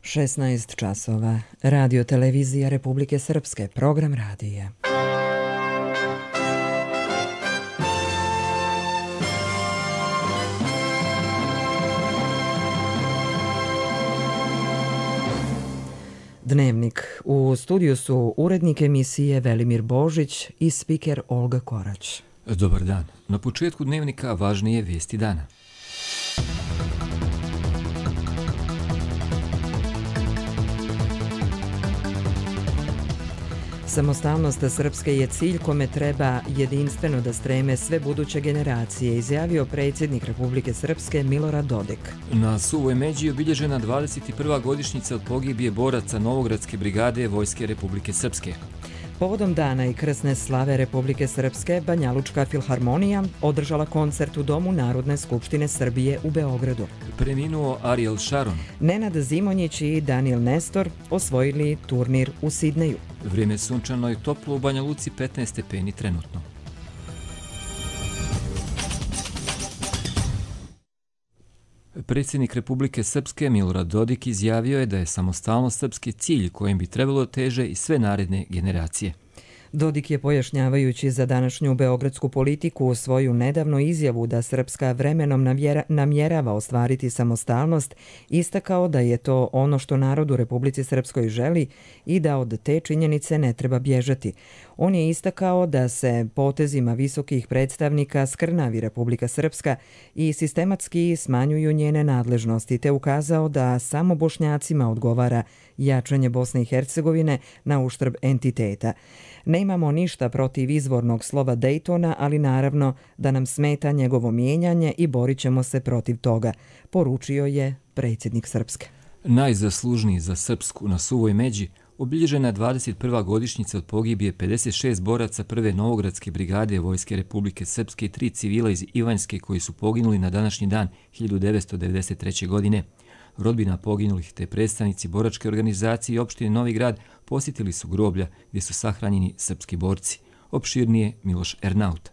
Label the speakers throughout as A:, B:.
A: 16 časova. Radio televizija Republike Srpske. Program radija. Dnevnik. U studiju su urednik emisije Velimir Božić i spiker Olga Korać.
B: Dobar dan. Na početku dnevnika važnije vijesti dana.
A: Samostalnost Srpske je cilj kome treba jedinstveno da streme sve buduće generacije, izjavio predsjednik Republike Srpske Milorad Dodik.
B: Na Suvoj Međi je obilježena 21. godišnjica od pogibije boraca Novogradske brigade Vojske Republike Srpske.
A: Povodom dana i krsne slave Republike Srpske, Banjalučka filharmonija održala koncert u Domu Narodne skupštine Srbije u Beogradu.
B: Preminuo Ariel Sharon.
A: Nenad Zimonjić i Daniel Nestor osvojili turnir u Sidneju.
B: Vrijeme sunčano i toplo u Banja Luci, 15 stepeni trenutno. Predsjednik Republike Srpske Milorad Dodik izjavio je da je samostalnost Srpske cilj kojem bi trebalo teže i sve naredne generacije.
A: Dodik je, pojašnjavajući za današnju beogradsku politiku, svoju nedavnu izjavu da Srpska vremenom namjerava ostvariti samostalnost, istakao da je to ono što narod u Republici Srpskoj želi i da od te činjenice ne treba bježati. On je istakao da se potezima visokih predstavnika skrnavi Republika Srpska i sistematski smanjuju njene nadležnosti, te ukazao da samo Bošnjacima odgovara jačanje Bosne i Hercegovine na uštrb entiteta. Ne imamo ništa protiv izvornog slova Dejtona, ali naravno da nam smeta njegovo mijenjanje i borit ćemo se protiv toga, poručio je predsjednik Srpske.
B: Najzaslužniji za Srpsku na Suvoj Međi obilježena 21. godišnjica od pogibije 56 boraca prve Novogradske brigade Vojske Republike Srpske i 3 civila iz Ivanjske koji su poginuli na današnji dan 1993. godine. Rodbina poginulih te predstavnici boračke organizacije i opštine Novi Grad posjetili su groblja gdje su sahranjeni srpski borci. Opširnije Miloš Ernaut.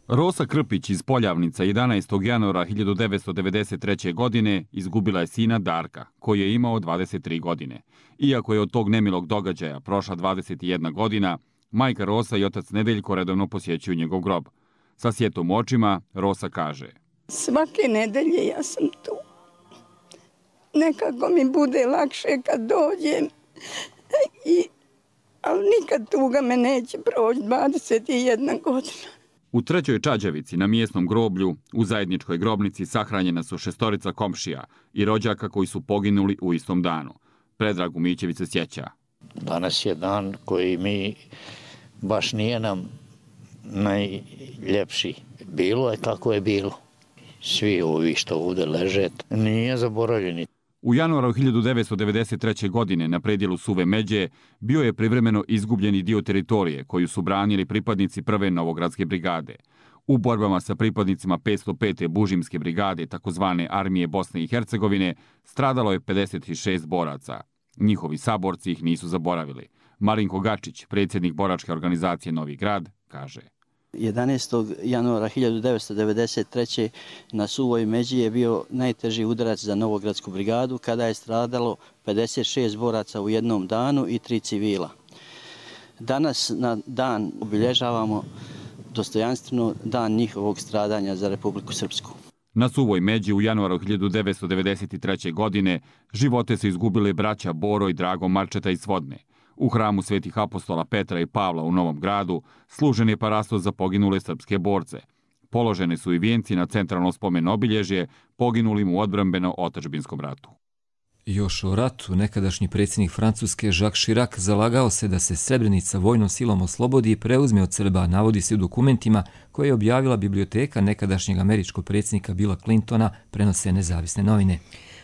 C: Rosa Krpić iz Poljavnica 11. januara 1993. godine izgubila je sina Darka, koji je imao 23 godine. Iako je od tog nemilog događaja prošla 21 godina, majka Rosa i otac Nedeljko redovno posjećuju njegov grob. Sa sjetom u očima Rosa kaže:
D: svake nedelje ja sam tu. Nekako mi bude lakše kad dođem, ali nikad tuga me neće proći, 21 godina.
C: U Trećoj Čađavici na mjesnom groblju u zajedničkoj grobnici sahranjena su 6 komšija i rođaka koji su poginuli u istom danu. Predrag Umićević se sjeća:
E: danas je dan koji mi baš nije nam najljepši. Bilo je kako je bilo. Svi ovi što ovdje leže nije zaboravljeni.
C: U januaru 1993. godine na predjelu Suve Međe bio je privremeno izgubljeni dio teritorije koju su branili pripadnici prve Novogradske brigade. U borbama sa pripadnicima 505. Bužimske brigade, takozvane armije Bosne i Hercegovine, stradalo je 56 boraca. Njihovi saborci ih nisu zaboravili. Marinko Gačić, predsjednik boračke organizacije Novi Grad, kaže:
F: 11. januara 1993. na Suvoj Međi je bio najteži udarac za Novogradsku brigadu kada je stradalo 56 boraca u jednom danu i 3 civila. Danas na dan obilježavamo dostojanstveno dan njihovog stradanja za Republiku Srpsku.
C: Na Suvoj Međi u januaru 1993. godine živote su izgubili braća Boro i Drago Marčeta iz Svodne. U hramu svetih apostola Petra i Pavla u Novom Gradu služen je parastos za poginule srpske borce. Položene su i vijenci na centralno spomen obilježje poginulim u odbrambeno-otadžbinskom ratu.
B: Još o ratu nekadašnji predsjednik Francuske Jacques Chirac zalagao se da se Srebrenica vojnom silom oslobodi i preuzme od Srba, navodi se u dokumentima koje je objavila biblioteka nekadašnjeg američkog predsjednika Billa Clintona, prenose nezavisne novine.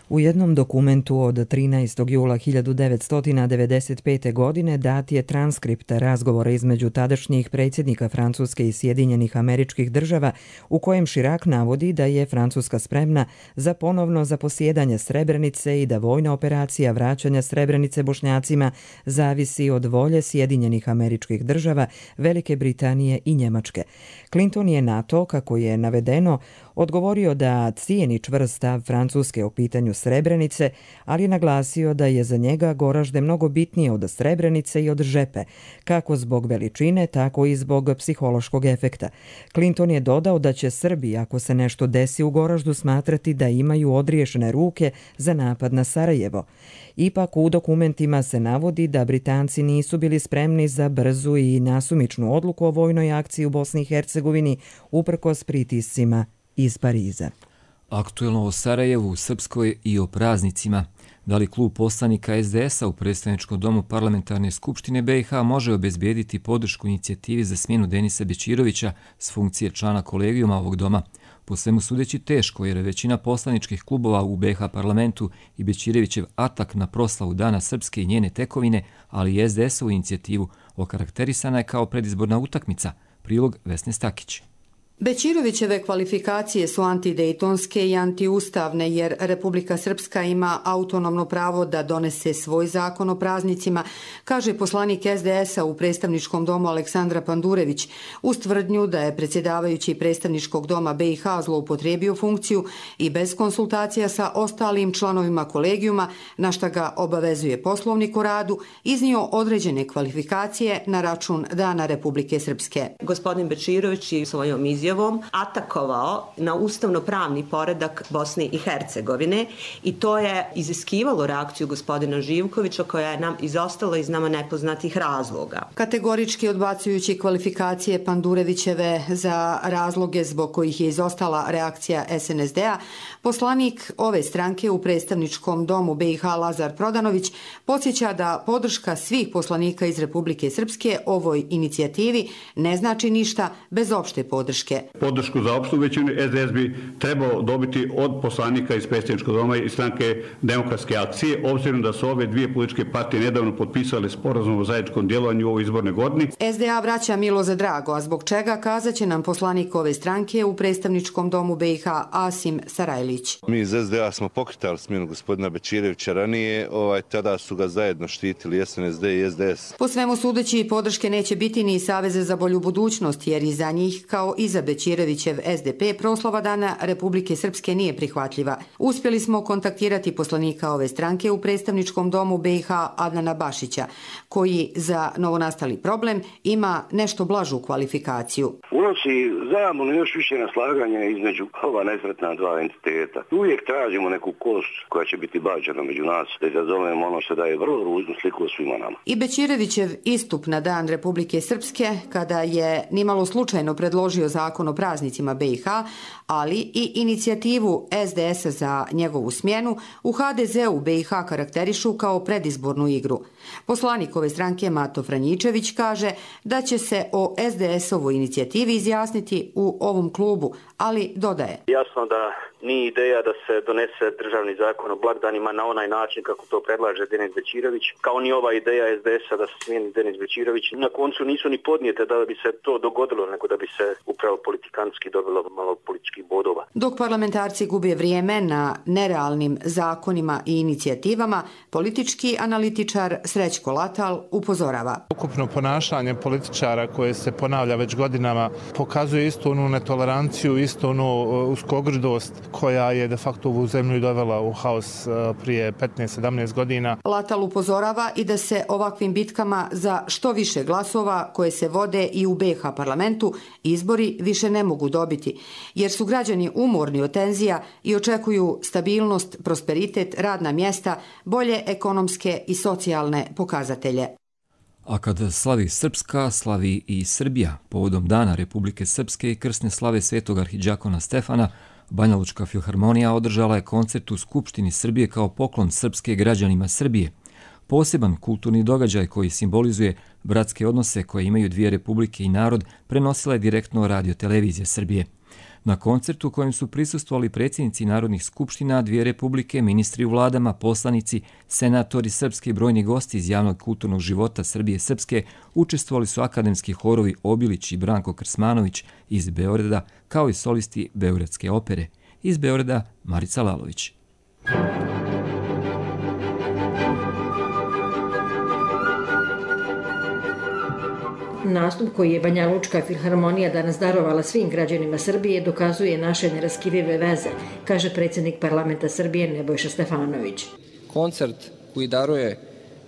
A: U jednom dokumentu od 13. jula 1995. godine dat je transkript razgovora između tadašnjih predsjednika Francuske i Sjedinjenih Američkih Država u kojem Chirac navodi da je Francuska spremna za ponovno zaposjedanje Srebrenice i da vojna operacija vraćanja Srebrenice Bošnjacima zavisi od volje Sjedinjenih Američkih Država, Velike Britanije i Njemačke. Clinton je na to, kako je navedeno, odgovorio da cijeni čvrst stav Francuske o pitanju Srebrenice, ali naglasio da je za njega Goražde mnogo bitnije od Srebrenice i od Žepe, kako zbog veličine, tako i zbog psihološkog efekta. Clinton je dodao da će Srbi, ako se nešto desi u Goraždu, smatrati da imaju odriješene ruke za napad na Sarajevo. Ipak u dokumentima se navodi da Britanci nisu bili spremni za brzu i nasumičnu odluku o vojnoj akciji u Bosni i Hercegovini uprkos pritiscima iz Pariza.
B: Aktuelno o Sarajevu, Srpskoj i o praznicima. Da li klub poslanika SDS-a u predstavničkom domu Parlamentarne skupštine BiH može obezbijediti podršku inicijativi za smjenu Denisa Bećirovića s funkcije člana kolegijuma ovog doma? Po svemu sudeći teško, jer većina poslaničkih klubova u BiH parlamentu i Bećirevićev atak na proslavu Dana Srpske i njene tekovine, ali i SDS-ovu inicijativu okarakterisana je kao predizborna utakmica. Prilog Vesne Stakić.
G: Bećirovićeve kvalifikacije su antidejtonske i antiustavne jer Republika Srpska ima autonomno pravo da donese svoj zakon o praznicima, kaže poslanik SDS-a u predstavničkom domu Aleksandra Pandurević, uz tvrdnju da je predsjedavajući predstavničkog doma BiH zloupotrijebio funkciju i bez konsultacija sa ostalim članovima kolegijuma, na šta ga obavezuje Poslovnik o radu, iznio određene kvalifikacije na račun Dana Republike Srpske.
H: Gospodin Bećirović je svojom izjavom atakovao na ustavno-pravni poredak Bosne i Hercegovine i to je iziskivalo reakciju gospodina Živkovića koja je nam izostala iz nama nepoznatih razloga.
G: Kategorički odbacujući kvalifikacije Pandurevićeve za razloge zbog kojih je izostala reakcija SNSD-a, poslanik ove stranke u predstavničkom domu BiH Lazar Prodanović podsjeća da podrška svih poslanika iz Republike Srpske ovoj inicijativi ne znači ništa bez opšte podrške.
I: Podršku za opštu većinu SDS bi trebao dobiti od poslanika iz predstavničkog doma i stranke Demokratske akcije, obzirom da su ove dvije političke partije nedavno potpisale sporazum o zajedničkom djelovanju u ovoj izbornoj godini.
G: SDA vraća milo za drago, a zbog čega kazaće nam poslanik ove stranke u predstavničkom domu BiH Asim Sarajlić.
J: Mi iz SDA smo pokretali smjenu gospodina Bećirevića ranije, tada su ga zajedno štitili SNSD i SDS.
G: Po svemu sudeći podrške neće biti ni Saveza za bolju budućnost, jer iza njih kao iza Bećirevićev SDP proslava Dana Republike Srpske nije prihvatljiva. Uspjeli smo kontaktirati poslanika ove stranke u predstavničkom domu BiH Adnana Bašića, koji za novonastali problem ima nešto blažu kvalifikaciju.
K: Unosi zamonu još više naslaganja između ova nesretna dva entiteta. Uvijek tražimo neku kost koja će biti bađena među nas, da izazovemo ono što daje vrlo ružnu sliku o svima nama.
G: I Bećirevićev istup na Dan Republike Srpske, kada je nimalo slučajno predložio zakon o praznicima BiH, ali i inicijativu SDS-a za njegovu smjenu, u HDZ-u BiH karakterišu kao predizbornu igru. Poslanik ove stranke Mato Franjičević kaže da će se o SDS-ovoj inicijativi izjasniti u ovom klubu, ali dodaje.
L: Jasno da nije ideja da se donese državni zakon o blagdanima na onaj način kako to predlaže Denis Bećirović, kao ni ova ideja SDS-a da se smijeni Denis Bećirović. Na koncu nisu ni podnijete da bi se to dogodilo, nego da bi se upravo politikanski dobilo malo političkih bodova.
G: Dok parlamentarci gube vrijeme na nerealnim zakonima i inicijativama, politički analitičar Srećko Latal upozorava.
M: Ukupno ponašanje političara koje se ponavlja već godinama pokazuje istu onu netoleranciju, istu onu uskogrdost koja je de facto ovu zemlju dovela u haos prije 15-17 godina.
G: Latal upozorava i da se ovakvim bitkama za što više glasova koje se vode i u BiH parlamentu izbori više ne mogu dobiti, jer su građani umorni od tenzija i očekuju stabilnost, prosperitet, radna mjesta, bolje ekonomske i socijalne pokazatelje.
B: A kad slavi Srpska, slavi i Srbija. Povodom Dana Republike Srpske i krsne slave svetog arhidžakona Stefana, Banjalučka filharmonija održala je koncert u Skupštini Srbije kao poklon Srpske građanima Srbije. Poseban kulturni događaj koji simbolizuje bratske odnose koje imaju dvije republike i narod prenosila je direktno Radio-televizija Srbije. Na koncertu kojem su prisustvovali predsjednici narodnih skupština, dvije republike, ministri u vladama, poslanici, senatori srpski i brojni gosti iz javnog kulturnog života Srbije Srpske, učestvovali su akademski horovi Obilić i Branko Krsmanović iz Beograda, kao i solisti Beogradske opere. Iz Beograda Marica Lalović.
N: Nastup koji je Banjalučka filharmonija danas darovala svim građanima Srbije dokazuje naše neraskidive veze, kaže predsjednik parlamenta Srbije Nebojša Stefanović.
O: Koncert koji daruje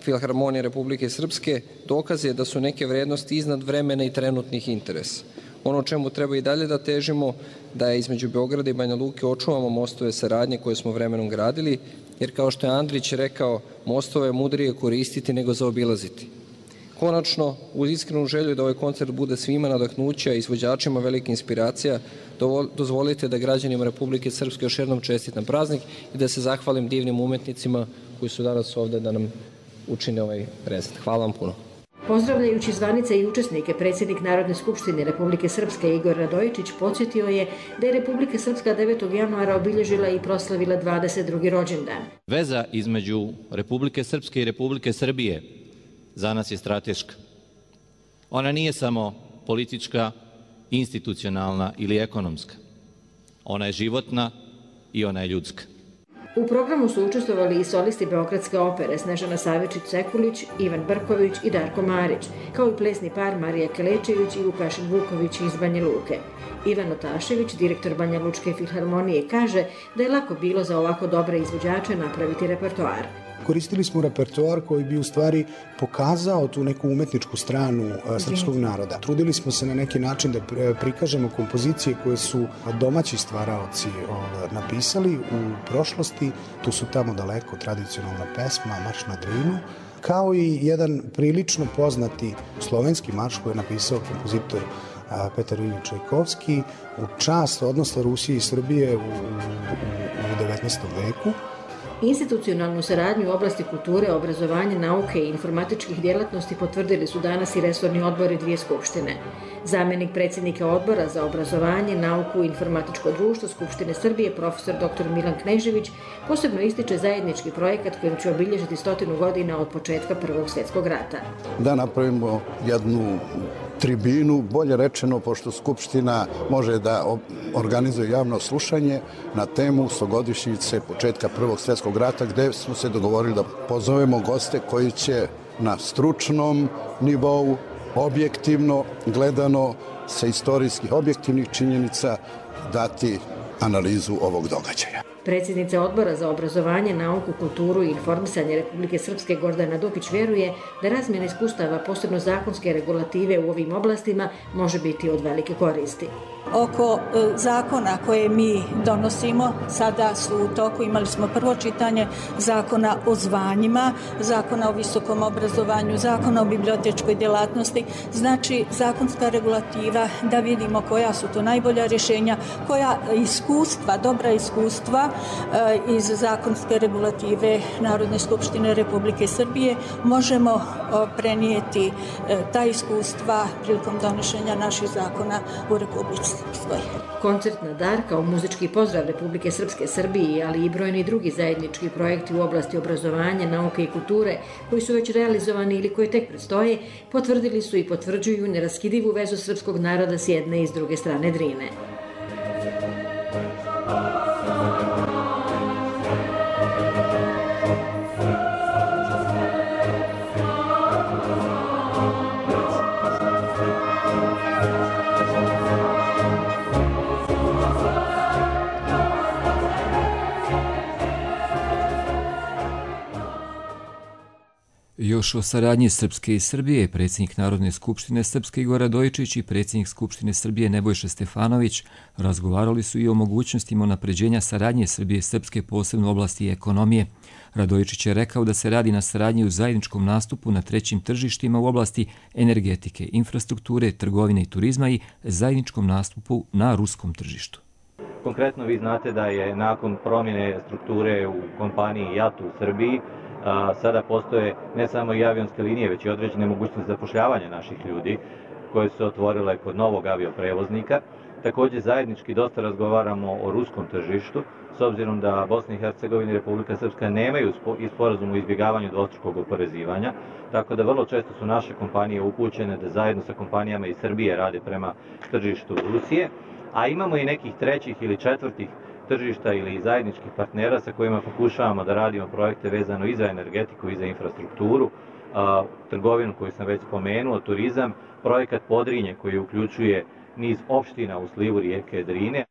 O: Filharmonija Republike Srpske dokaz je da su neke vrednosti iznad vremena i trenutnih interesa. Ono čemu treba i dalje da težimo, da je između Beograda i Banja Luke očuvamo mostove saradnje koje smo vremenom gradili, jer kao što je Andrić rekao, mostove je mudrije koristiti nego zaobilaziti. Konačno, uz iskrenu želju da ovaj koncert bude svima nadahnuća i izvođačima velika inspiracija, dozvolite da građanima Republike Srpske još jednom čestitam praznik i da se zahvalim divnim umetnicima koji su danas ovde da nam učine ovaj prezent. Hvala vam puno.
N: Pozdravljajući zvanice i učesnike, predsjednik Narodne skupštine Republike Srpske Igor Radojičić podsjetio je da je Republika Srpska 9. januara obilježila i proslavila 22. rođendan.
P: Veza između Republike Srpske i Republike Srbije za nas je strateška. Ona nije samo politička, institucionalna ili ekonomska. Ona je životna i ona je ljudska.
N: U programu su učestvovali i solisti Beogradske opere Snežana Savičić-Sekulić, Ivan Brković i Darko Marić, kao i plesni par Marija Kelečević i Vukašin Vuković iz Banja Luke. Ivan Otašević, direktor Banja Lučke filharmonije, kaže da je lako bilo za ovako dobre izvođače napraviti repertoar.
Q: Koristili smo repertoar koji bi u stvari pokazao tu neku umetničku stranu srpskog naroda. Trudili smo se na neki način da prikažemo kompozicije koje su domaći stvaraoci napisali u prošlosti. Tu su tamo daleko tradicionalna pesma, Marš na Drinu, kao i jedan prilično poznati slovenski marš koji je napisao kompozitor Petar Iljič Čajkovski u čast odnosa Rusije i Srbije u 19. veku.
N: Institucionalnu saradnju u oblasti kulture, obrazovanja, nauke i informatičkih djelatnosti potvrdili su danas i resorni odbori dvije skupštine. Zamenik predsjednika odbora za obrazovanje, nauku i informatičko društvo Skupštine Srbije, profesor dr. Milan Knežević, posebno ističe zajednički projekat kojim će obilježiti 100 godina od početka Prvog svjetskog rata.
R: Da napravimo jednu tribinu, bolje rečeno, pošto Skupština može da organizuje javno slušanje na temu 100-godišnjice početka Prvog svjetskog rata, gde smo se dogovorili da pozovemo goste koji će na stručnom nivou, objektivno gledano, sa istorijskih objektivnih činjenica dati analizu ovog događaja.
N: Predsjednica odbora za obrazovanje, nauku, kulturu i informisanje Republike Srpske Gordana Dukić vjeruje da razmjena iskustava, posebno zakonske regulative u ovim oblastima, može biti od velike koristi.
S: Oko zakona koje mi donosimo, sada su u toku, imali smo prvo čitanje zakona o zvanjima, zakona o visokom obrazovanju, zakona o bibliotečkoj djelatnosti, znači zakonska regulativa, da vidimo koja su to najbolja rješenja, koja iskustva, dobra iskustva iz zakonske regulative Narodne skupštine Republike Srbije možemo prenijeti ta iskustva prilikom donošenja naših zakona u Republici.
N: Koncert na dar kao muzički pozdrav Republike Srpske Srbiji, ali i brojni drugi zajednički projekti u oblasti obrazovanja, nauke i kulture koji su već realizovani ili koji tek predstoje, potvrdili su i potvrđuju neraskidivu vezu srpskog naroda s jedne i s druge strane Drine.
B: Još o saradnji Srpske i Srbije, predsjednik Narodne skupštine Srpske Igor Radojičić i predsjednik Skupštine Srbije Nebojša Stefanović razgovarali su i o mogućnostima unapređenja saradnje Srbije i Srpske, posebno u oblasti ekonomije. Radojičić je rekao da se radi na saradnji u zajedničkom nastupu na trećim tržištima u oblasti energetike, infrastrukture, trgovine i turizma i zajedničkom nastupu na ruskom tržištu.
P: Konkretno vi znate da je nakon promjene strukture u kompaniji JAT u Srbiji sada postoje ne samo i avionske linije, već i određene mogućnosti zapošljavanja naših ljudi koje su otvorile kod novog avioprevoznika. Također zajednički dosta razgovaramo o ruskom tržištu, s obzirom da Bosna i Hercegovina i Republika Srpska nemaju sporazum o izbjegavanju dvostrukog oporezivanja, tako da vrlo često su naše kompanije upućene da zajedno sa kompanijama iz Srbije rade prema tržištu Rusije, a imamo i nekih trećih ili četvrtih tržišta ili zajedničkih partnera sa kojima pokušavamo da radimo projekte vezano i za energetiku i za infrastrukturu. trgovinu koju sam već spomenuo, turizam, projekat Podrinje koji uključuje niz opština u slivu rijeke Drine.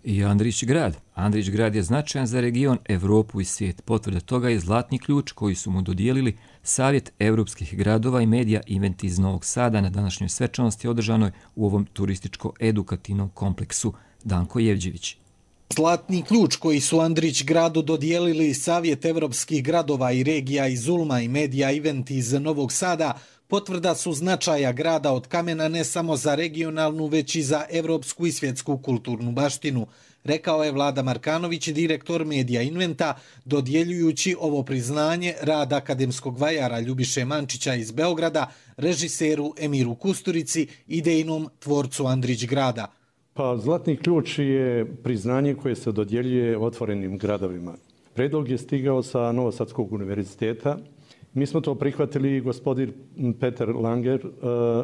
B: I Andrić grad. Andrić grad je značajan za region, Evropu i svijet. Potvrda toga je Zlatni ključ koji su mu dodijelili Savjet evropskih gradova i medija Event iz Novog Sada na današnjoj svečanosti održanoj u ovom turističko-edukativnom kompleksu. Danko Jevđević.
T: Zlatni ključ koji su Andrić gradu dodijelili Savjet evropskih gradova i regija iz Ulma i medija Event iz Novog Sada potvrda su značaja grada od kamena ne samo za regionalnu, već i za evropsku i svjetsku kulturnu baštinu, rekao je Vlada Markanović, direktor medija Inventa, dodjeljujući ovo priznanje rad akademskog vajara Ljubiše Mančića iz Beograda, režiseru Emiru Kusturici, idejnom tvorcu Andrić grada.
U: Pa Zlatni ključ je priznanje koje se dodjeljuje otvorenim gradovima. Predlog je stigao sa Novosadskog univerziteta. Mi smo to prihvatili, gospodin Peter Langer,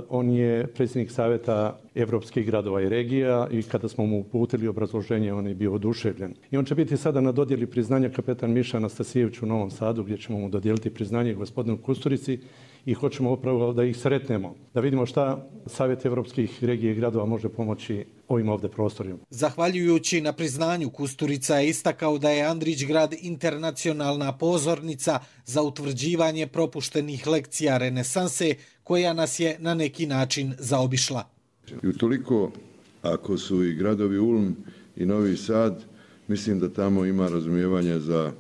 U: on je predsjednik Savjeta evropskih gradova i regija i kada smo mu uputili obrazloženje, on je bio oduševljen. I on će biti sada na dodjeli priznanja kapetan Miša Anastasijević u Novom Sadu, gdje ćemo mu dodijeliti priznanje gospodinu Kusturici i hoćemo upravo da ih sretnemo, da vidimo šta Savjet evropskih regija i gradova može pomoći ovim ovdje prostorima.
T: Zahvaljujući na priznanju, Kusturica je istakao da je Andrić grad internacionalna pozornica za utvrđivanje propuštenih lekcija renesanse koja nas je na neki način zaobišla.
V: I utoliko, ako su i gradovi Ulm i Novi Sad, mislim da tamo ima razumijevanja za,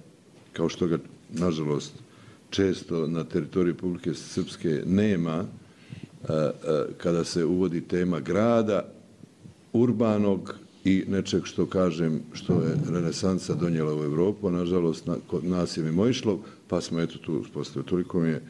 V: kao što ga nažalost često na teritoriji Republike Srpske nema, kada se uvodi tema grada, urbanog i nečeg što kažem što je renesansa donijela u Evropu, a nažalost kod nas je mimoišlo, pa smo eto tu uspostavili. Toliko mi je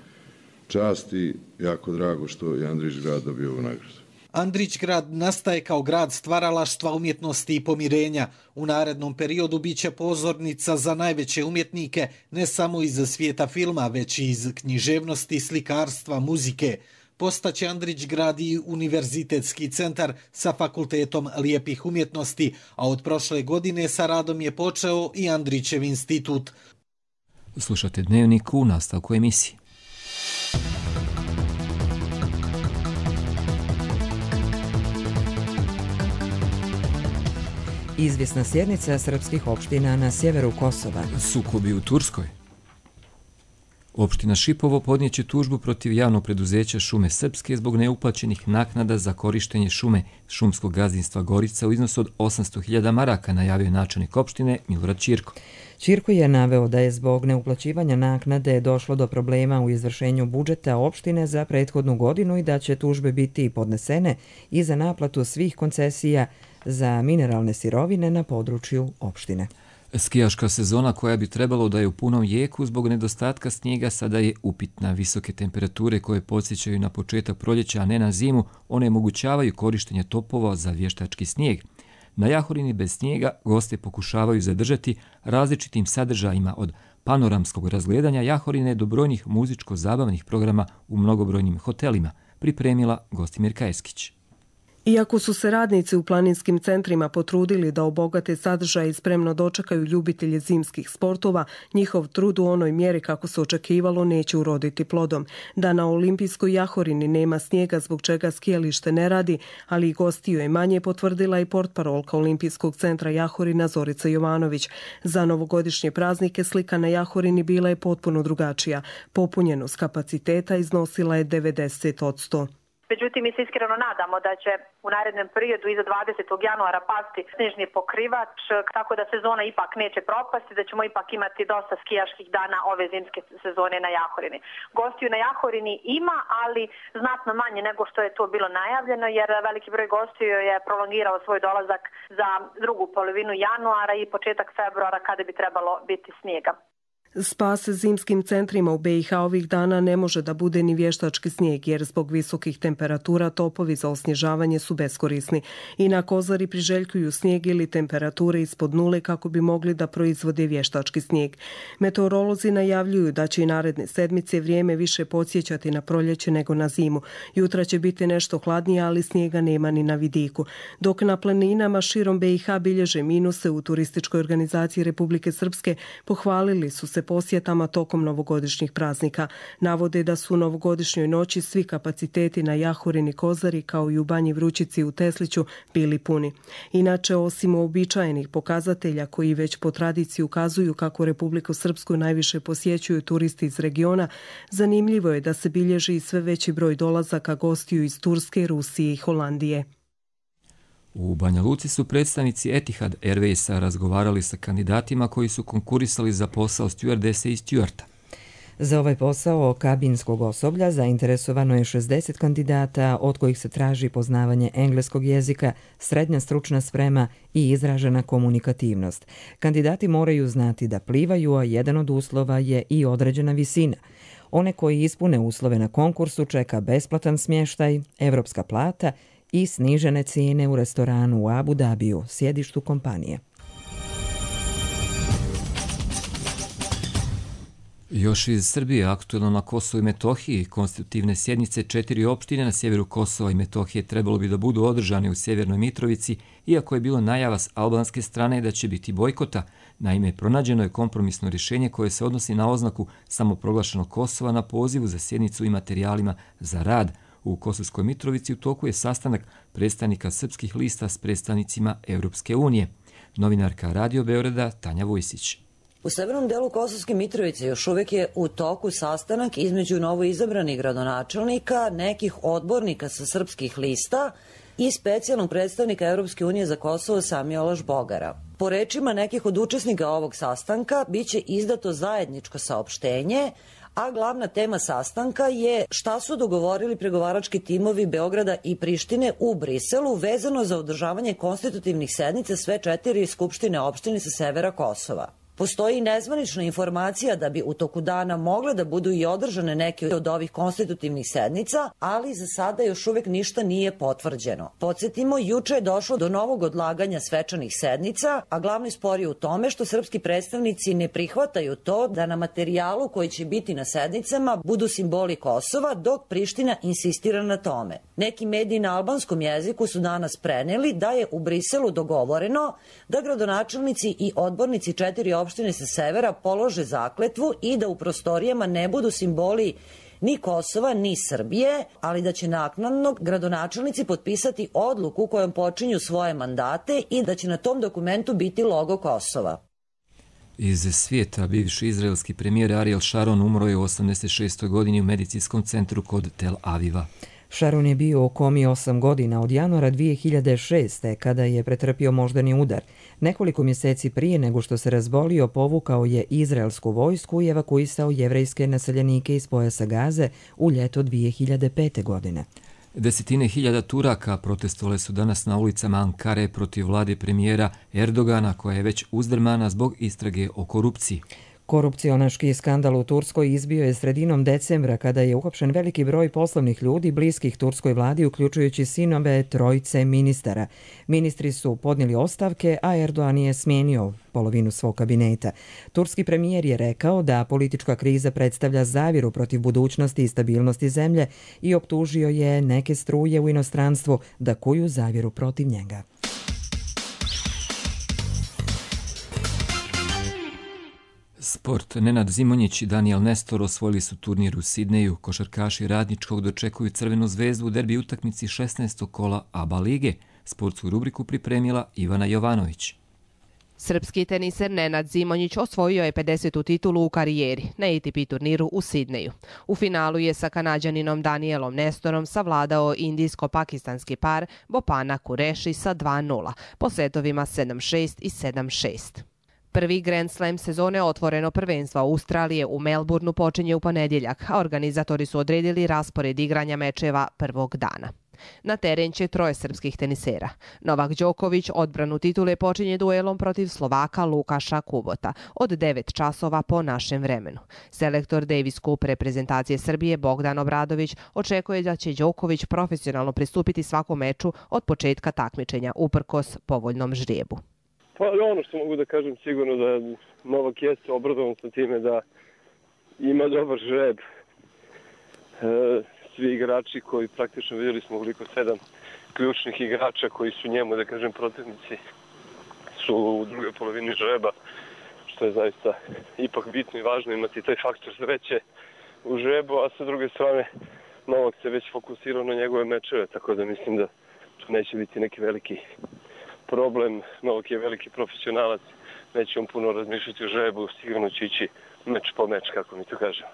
V: čast i jako drago što je Andrić grad dobio ovu nagradu.
T: Andrić grad nastaje kao grad stvaralaštva, umjetnosti i pomirenja. U narednom periodu biće pozornica za najveće umjetnike, ne samo iz svijeta filma, već i iz književnosti, slikarstva, muzike. Postaće Andrić grad i univerzitetski centar sa fakultetom lijepih umjetnosti, a od prošle godine sa radom je počeo i Andrićev institut.
B: Slušate Dnevnik u nastavku emisije.
A: Izvjesna sjednica srpskih opština na sjeveru Kosova.
B: Sukobi u Turskoj. Opština Šipovo podnijeće tužbu protiv javnog preduzeća Šume Srpske zbog neuplaćenih naknada za korištenje šume šumskog gazdinstva Gorica u iznosu od 800.000 maraka, najavio načelnik opštine Milorad Ćirko.
A: Ćirko je naveo da je zbog neuplaćivanja naknade došlo do problema u izvršenju budžeta opštine za prethodnu godinu i da će tužbe biti podnesene i za naplatu svih koncesija za mineralne sirovine na području opštine.
B: Skijaška sezona koja bi trebalo da je u punom jeku zbog nedostatka snijega sada je upitna. Visoke temperature koje podsjećaju na početak proljeća, a ne na zimu, onemogućavaju korištenje topova za vještački snijeg. Na Jahorini bez snijega goste pokušavaju zadržati različitim sadržajima od panoramskog razgledanja Jahorine do brojnih muzičko-zabavnih programa u mnogobrojnim hotelima, pripremila Gostimir Kajeskić.
W: Iako su se radnici u planinskim centrima potrudili da obogate sadržaj i spremno dočekaju ljubitelje zimskih sportova, njihov trud u onoj mjeri kako se očekivalo neće uroditi plodom. Da na Olimpijskoj Jahorini nema snijega zbog čega skijalište ne radi, ali i gostiju je manje, potvrdila i portparolka Olimpijskog centra Jahorina Zorica Jovanović. Za novogodišnje praznike slika na Jahorini bila je potpuno drugačija. Popunjenost kapaciteta iznosila je 90%.
X: Međutim, mi se iskreno nadamo da će u narednom periodu iza 20. januara pasti snežni pokrivač, tako da sezona ipak neće propasti, da ćemo ipak imati dosta skijaških dana ove zimske sezone na Jahorini. Gostiju na Jahorini ima, ali znatno manje nego što je to bilo najavljeno, jer veliki broj gostiju je prolongirao svoj dolazak za drugu polovinu januara i početak februara kada bi trebalo biti snijega.
W: Spas zimskim centrima u BiH ovih dana ne može da bude ni vještački snijeg, jer zbog visokih temperatura topovi za osnježavanje su beskorisni. I na Kozari priželjkuju snijeg ili temperature ispod nule kako bi mogli da proizvode vještački snijeg. Meteorolozi najavljuju da će i naredne sedmice vrijeme više podsjećati na proljeće nego na zimu. Jutra će biti nešto hladnije, ali snijega nema ni na vidiku. Dok na planinama širom BiH bilježe minuse, u turističkoj organizaciji Republike Srpske pohvalili su se posjetama tokom novogodišnjih praznika. Navode da su u novogodišnjoj noći svi kapaciteti na Jahorini Kozari kao i u Banji Vrućici u Tesliću bili puni. Inače, osim uobičajenih pokazatelja koji već po tradiciji ukazuju kako Republiku Srpsku najviše posjećuju turisti iz regiona, zanimljivo je da se bilježi sve veći broj dolazaka gostiju iz Turske, Rusije i Holandije.
B: U Banja Luci su predstavnici Etihad Airwaysa razgovarali sa kandidatima koji su konkurisali za posao stjuardese i stjuarta.
A: Za ovaj posao kabinskog osoblja zainteresovano je 60 kandidata, od kojih se traži poznavanje engleskog jezika, srednja stručna sprema i izražena komunikativnost. Kandidati moraju znati da plivaju, a jedan od uslova je i određena visina. One koji ispune uslove na konkursu čeka besplatan smještaj, evropska plata i snižene cijene u restoranu u Abu Dabiju, sjedištu kompanije.
B: Još iz Srbije, aktuelno na Kosovu i Metohiji, konstitutivne sjednice 4 opštine na sjeveru Kosova i Metohije trebalo bi da budu održane u Sjevernoj Mitrovici, iako je bilo najava s albanske strane da će biti bojkota. Naime, pronađeno je kompromisno rješenje koje se odnosi na oznaku samoproglašenog Kosova na pozivu za sjednicu i materijalima za rad. U Kosovskoj Mitrovici u toku je sastanak predstavnika srpskih lista s predstavnicima Europske unije. Novinarka Radio Beograda Tanja Vujsić.
C: U severnom delu Kosovske Mitrovice još uvijek je u toku sastanak između novoizabranih gradonačelnika, nekih odbornika sa srpskih lista i specijalnog predstavnika Europske unije za Kosovo Samiola Žbogara. Po rečima nekih od učesnika ovog sastanka biće izdato zajedničko saopštenje, a glavna tema sastanka je šta su dogovorili pregovarački timovi Beograda i Prištine u Briselu vezano za održavanje konstitutivnih sednica sve 4 skupštine opštine sa severa Kosova. Postoji nezvanična informacija da bi u toku dana mogle da budu i održane neke od ovih konstitutivnih sednica, ali za sada još uvijek ništa nije potvrđeno. Podsjetimo, juče je došlo do novog odlaganja svečanih sednica, a glavni spor je u tome što srpski predstavnici ne prihvataju to da na materijalu koji će biti na sednicama budu simboli Kosova, dok Priština insistira na tome. Neki mediji na albanskom jeziku su danas preneli da je u Briselu dogovoreno da gradonačelnici i odbornici 4 opštine sa severa polože zakletvu i da u prostorijama ne budu simboli ni Kosova ni Srbije, ali da će naknadno gradonačelnici potpisati odluku kojom počinju svoje mandate i da će na tom dokumentu biti logo Kosova.
B: Iz svijeta bivši izraelski premijer Ariel Sharon umro je u 86. godini u medicinskom centru kod Tel Aviva.
A: Sharon je bio u komi 8 godina od januara 2006. kada je pretrpio moždani udar. Nekoliko mjeseci prije nego što se razbolio, povukao je izraelsku vojsku i evakuisao jevrejske naseljenike iz pojasa Gaze u ljeto 2005. godine.
B: Desetine hiljada Turaka protestovale su danas na ulicama Ankare protiv vlade premijera Erdogana, koja je već uzdrmana zbog istrage o korupciji.
A: Korupcionaški skandal u Turskoj izbio je sredinom decembra kada je uhapšen veliki broj poslovnih ljudi bliskih turskoj vladi, uključujući sinove trojice ministara. Ministri su podnijeli ostavke, a Erdogan je smijenio polovinu svog kabineta. Turski premijer je rekao da politička kriza predstavlja zavjeru protiv budućnosti i stabilnosti zemlje i optužio je neke struje u inostranstvu da kuju zavjeru protiv njega.
B: Sport. Nenad Zimonjić i Daniel Nestor osvojili su turnir u Sidneju. Košarkaši Radničkog dočekuju Crvenu zvezdu u derbi utakmici 16. kola ABA lige. Sportsku rubriku pripremila Ivana Jovanović.
D: Srpski teniser Nenad Zimonjić osvojio je 50. titulu u karijeri na ATP turniru u Sidneju. U finalu je sa Kanađaninom Danielom Nestorom savladao indijsko-pakistanski par Bopana Kureši sa 2-0 po setovima 7-6 i 7-6. Prvi Grand Slam sezone otvoreno prvenstvo Australije u Melbourneu počinje u ponedjeljak, a organizatori su odredili raspored igranja mečeva prvog dana. Na teren će 3 srpskih tenisera. Novak Đoković odbranu titule počinje duelom protiv Slovaka Lukaša Kubota od 9 časova po našem vremenu. Selektor Davis Cup reprezentacije Srbije Bogdan Obradović očekuje da će Đoković profesionalno pristupiti svakom meču od početka takmičenja, uprkos povoljnom žrijebu.
E: Pa ono što mogu da kažem sigurno da Novak jeste obradovan sa time da ima dobar žreb. Svi igrači koji praktično vidjeli smo koliko 7 ključnih igrača koji su njemu, da kažem, protivnici su u drugoj polovini žreba, što je zaista ipak bitno i važno imati taj faktor sreće u žrebu, a sa druge strane Novak se već fokusirao na njegove mečeve, tako da mislim da tu neće biti neki veliki problem. Novak je veliki profesionalac, neće on puno razmišljati o žrebu, sigurno će ići meč po meč, kako mi to kažemo.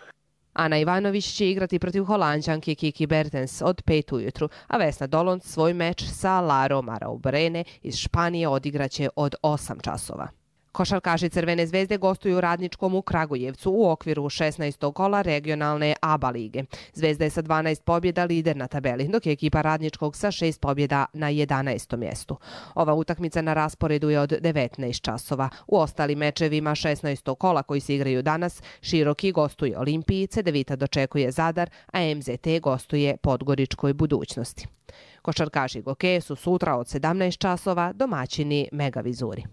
D: Ana Ivanović će igrati protiv Holanđanke Kiki Bertens od 5 ujutru, a Vesna Dolond svoj meč sa Laro Maraubrene iz Španije odigraće od 8 časova. Košarkaši Crvene zvezde gostuju Radničkom u Kragujevcu u okviru 16. kola regionalne ABA lige. Zvezda je sa 12 pobjeda lider na tabeli, dok je ekipa Radničkog sa 6 pobjeda na 11. mjestu. Ova utakmica na rasporedu je od 19 časova. U ostalim mečevima 16. kola koji se igraju danas, Široki gostuje Olimpiji, Cedevita dočekuje Zadar, a MZT gostuje Podgoričkoj Budućnosti. Košarkaši Gokeje su sutra od 17 časova domaćini Megavizuri.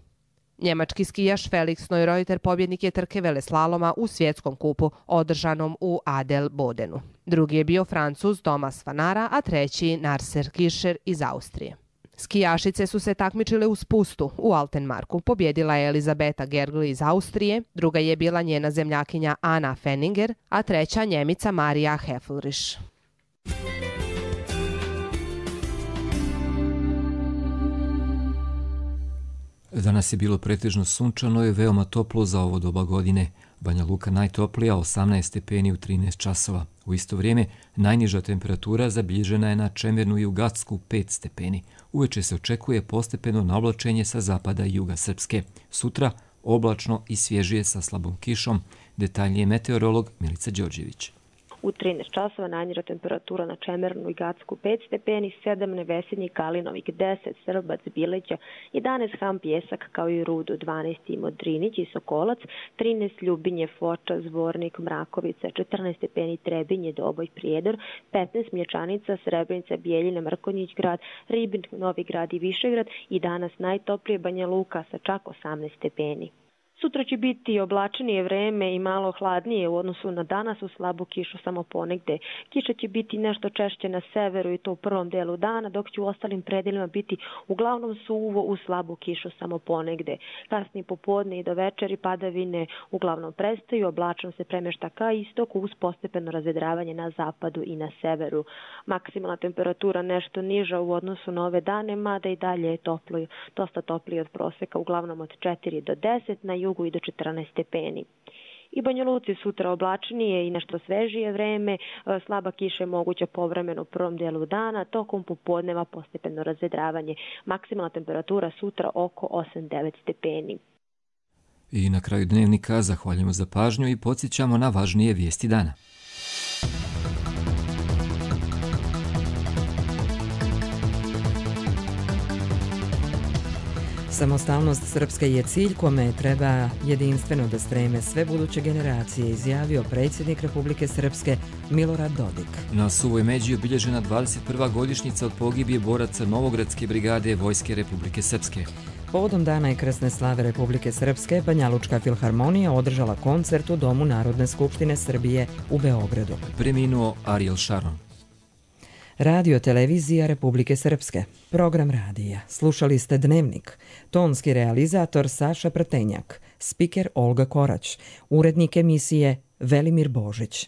D: Njemački skijaš Felix Neureuter pobjednik je trke veleslaloma u svjetskom kupu održanom u Adelbodenu. Drugi je bio Francuz Thomas Fanara, a treći Narser Kircher iz Austrije. Skijašice su se takmičile u spustu u Altenmarku. Pobjedila je Elizabeta Gergl iz Austrije, druga je bila njena zemljakinja Anna Fenninger, a treća Njemica Marija Heflriš.
B: Danas je bilo pretežno sunčano i veoma toplo za ovo doba godine. Banja Luka najtoplija 18 stepeni u 13 časova. U isto vrijeme najniža temperatura zabilježena je na Čemernu i u Gacku 5 stepeni. Uveče se očekuje postepeno navlačenje sa zapada i juga Srpske. Sutra oblačno i svježije sa slabom kišom. Detaljnije meteorolog Milica Đorđević.
F: U 13 časova najniža temperatura na Čemernu i Gacku 5 stepeni, 7 Nevesinji, Kalinovik 10, Srbac, Bileća, 11 Ham, Pjesak kao i Rudu, 12 Modrinić i Sokolac, 13 Ljubinje, Foča, Zvornik, Mrakovica, 14 stepeni Trebinje, Doboj, Prijedor, 15 Mlječanica, Srebrenica, Bijeljina, Mrkonjić grad, Ribnik, Novi grad i Višegrad i danas najtoplije Banja Luka sa čak 18 stepeni. Sutra će biti oblačenije vreme i malo hladnije u odnosu na danas, u slabu kišu samo ponegde. Kiša će biti nešto češće na severu i to u prvom delu dana, dok će u ostalim predelima biti uglavnom suvo u slabu kišu samo ponegde. Kasnije popodne i do večeri padavine uglavnom prestaju, oblačno se premješta ka istoku uz postepeno razvedravanje na zapadu i na severu. Maksimalna temperatura nešto niža u odnosu na ove dane, mada i dalje je dosta toplije od proseka, uglavnom od 4 do 10, na jugu i do 14 stepeni. I Banja Luci sutra oblačnije i nešto svežije vreme, slaba kiša je moguća povremeno u prvom delu dana, tokom popodneva postepeno razvedravanje. Maksimalna temperatura sutra oko 8-9 stepeni.
B: I na kraju dnevnika zahvaljujemo za pažnju i podsjećamo na važnije vijesti dana.
A: Samostalnost Srpske je cilj kome treba jedinstveno da streme sve buduće generacije, izjavio predsjednik Republike Srpske Milorad Dodik.
B: Na Suvoj Međi je obilježena 21. godišnjica od pogibije boraca Novogradske brigade Vojske Republike Srpske.
A: Povodom Dana i krsne slave Republike Srpske, Banjalučka filharmonija održala koncert u Domu Narodne skupštine Srbije u Beogradu.
B: Preminuo Ariel Sharon.
A: Radio televizija Republike Srpske. Program radija. Slušali ste Dnevnik. Tonski realizator Saša Prtenjak. Spiker Olga Korać. Urednik emisije Velimir Božić.